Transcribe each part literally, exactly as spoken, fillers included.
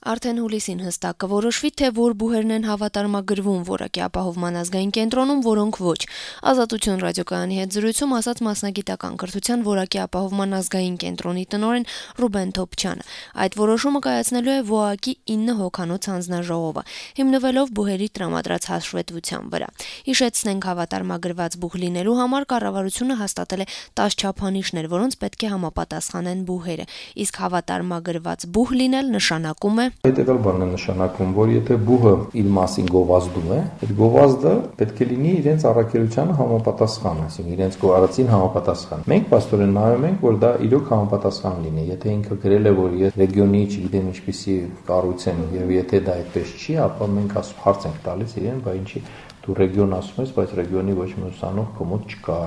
Արդեն հուլիսին հստակ կորոշվի, թե որ բուհերն են հավատարմագրվում որակի ապահովման ազգային կենտրոնում, որոնք ոչ։ Ազատություն ռադիոկայանի հետ զրույցում ասաց մասնագիտական կրթության որակի ապահովման ազգային կենտրոնի տնօրեն Ռուբեն Թոփչյանը։ Այդ որոշումը կայացնելու է ՎՕԱԿ-ի ինը հոգանոց հանձնաժողովը, հիմնվելով բուհերի տրամադրած հաշվետվության վրա։ Հիշեցնենք, հավատարմագրված բուհ լինելու համար կառավարությունը հաստատել է տասը չափանիշներ, որոնց պետք է համապատասխանեն բուհերը, իսկ հավատարմագրված բուհ լինել նշանակում է Հետևյալ բանն է նշանակում, որ եթե բուհը իր մասին գովազդում է, այդ գովազդը պետք է լինի իրենց առաքելությանը համապատասխան, այսինքն իրենց գոհարացին համապատասխան։ Մենք պաստորեն նայում ենք, որ դա իրոք համապատասխան լինի։ Եթե ինքը գրել է, որ ես ռեգիոնի, չգիտեմ ինչպիսի կառույց եմ, եւ եթե դա այդպես չի, ապա մենք հարց ենք տալիս իրեն, բա ինչի դու ռեգիոն ասում ես, բայց ռեգիոնի ոչ մի ուսանող քո մոտ չկա։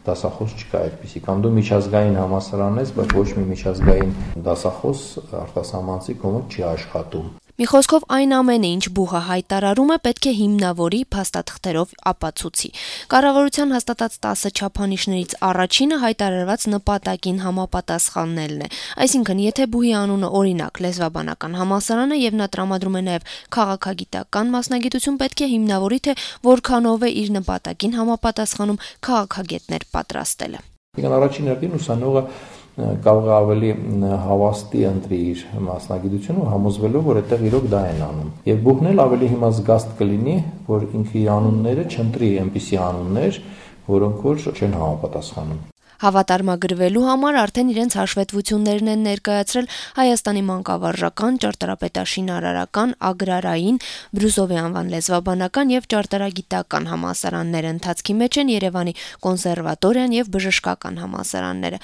Դասախոս չկա այդպիսի, կամ դու միջազգային համալսարան ես, բայց ոչ մի միջազգային դասախոս արտասահմանցի կողմից չի աշխատում։ Մի խոսքով այն ամենը, ինչ բուհը հայտարարում է, պետք է հիմնավորի, փաստաթղթերով ապացուցի։ Կառավարության հաստատած տասը չափանիշներից առաջինը հայտարարված նպատակին համապատասխանելն է։ Այսինքն, եթե բուհի անունը օրինակ լեզվաբանական համալսարան է եւ նա տրամադրում է նաեւ քաղաքագիտական մասնագիտություն, պետք է հիմնավորի, թե որքանով է իր նպատակին համապատասխանում քաղաքագետներ պատրաստելը։ Եկան առաջին հերթին ուսանողը կարող է ավելի հավաստի ընտրի իր մասնագիտությունը համոզվելով, որ այդտեղ իրոք դա են անում։ Եվ բուհն էլ ավելի հիմա զգաստ կլինի, որ ինքը իր անունները չընտրի այնպիսի անուններ, որոնք որ չեն համապատասխանում։ Հավատարմագրվելու համար արդեն իրենց հաշվետվություններն են ներկայացրել Հայաստանի մանկավարժական, ճարտարապետաշինարարական, ագրարային, Բրուսովի անվան լեզվաբանական եւ ճարտարագիտական համալսարանները, ընթացքի մեջ են Երևանի կոնսերվատորիան եւ բժշկական համալսարանները։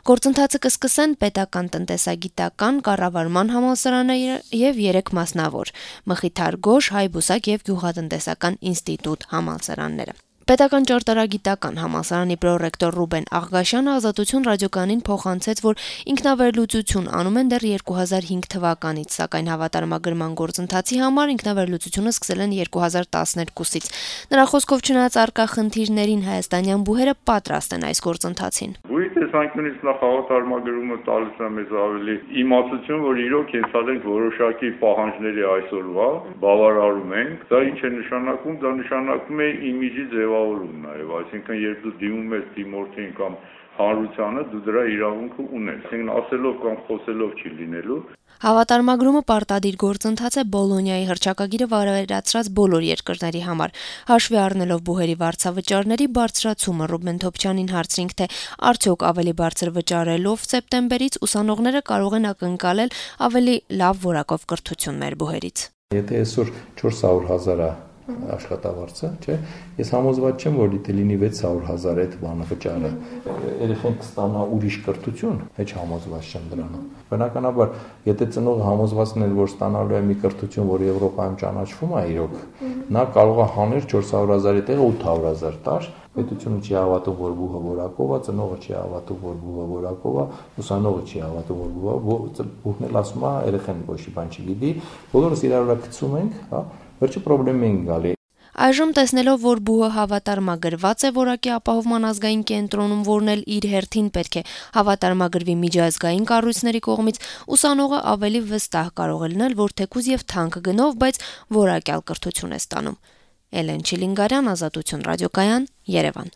Գործընթացը կսկսեն պետական տնտեսագիտական, կառավարման համալսարանը եւ երեք մասնավոր՝ Մխիթար Գոշ, Հայբուսակ եւ Գյուղատնտեսական ինստիտուտ համալսարանները։ Պետական ճարտարագիտական համալսարանի պրոռեկտոր Ռուբեն Աղղաշյանը Ազատություն ռադիոկայանին փոխանցեց, որ ինքնավերլուծություն անում են դեռ երկու հազար հինգ թվականից, սակայն հավատարմագրման գործընթացի համար ինքնավերլուծությունը սկսել են երկու հազար տասներկուսից։ Նրա խոսքով, չնայած առկա խնդիրներին, հայաստանյան բուհերը պատրաստ են այս գործընթացին։ Բուհի տեսանկյունից նախ հավատարմագրումը տալիս է մեզ ավելի իմացություն, որ իրոք ենթալ ենք որոշակի պահանջների այսօրվա, բավարարում ենք։ Դա ինչ է նշանակում, դա նշանակում է իմիջի ձևավորում նաև, այսինքն երբ դու դիմում ես դիմորդին կամ հանրությանը, դու դրա իրավունքը ունես, այսինքն ասելով կամ խոսելով չի լինելու։ Հավատարմագրումը պարտադիր գործընթաց է Բոլոնիայի հռչակագիրը վավերացրած բոլոր երկրների համար։ Հաշվի առնելով բուհերի վարձավճարների բարձրացումը, Ռուբեն Թոփչյանին հարցրինք, թե արդյոք ավելի բարձր վճարելով սեպտեմբերից ուսանողները կարող են ակնկալել ավելի լավ որակով կրթություն մեր բուհերից։ Եթե այսօր չորս հարյուր հազար աշխատավարձը, չէ, ես համոզված չեմ, որ դիտե լինի վեց հարյուր հազար այդ բանը վճարը։ Երեխեն կստանա ուրիշ կրթություն, հեչ համոզված չեմ դրանում։ Բնականաբար, եթե ծնողը համոզվածն է, որ ստանալու է մի կրթություն, որ Եվրոպայում ճանաչվում է իրոք, նա կարող է հաներ չորս հարյուր հազարի տեղը ութ հարյուր հազար տար, պետությունը չի հավատում, որ բուհը որակով է, ծնողը չի հավատում, որ բուհը որակով է, ուսանողը չի հավատում, որ բուհը, բուհն էլ ասում է, երեխեն ոչ մի բան չգիտի, բոլորս իրար վրա գցում ենք, հա, վերջը պրոբլեմ ենք գալի։ Այժմ տեսնելով, որ բուհը հավատարմագրված է որակի ապահովման ազգային կենտրոնում, որն էլ իր հերթին պետք է հավատարմագրվի միջազգային կառույցների կողմից, ուսանողը ավելի վստահ կարող է լինել, որ թեկուզ եւ թանկ գնով, բայց որակյալ կրթություն է ստանում։ Էլեն Չիլինգարյան, Ազատություն ռադիոկայան, Երևան։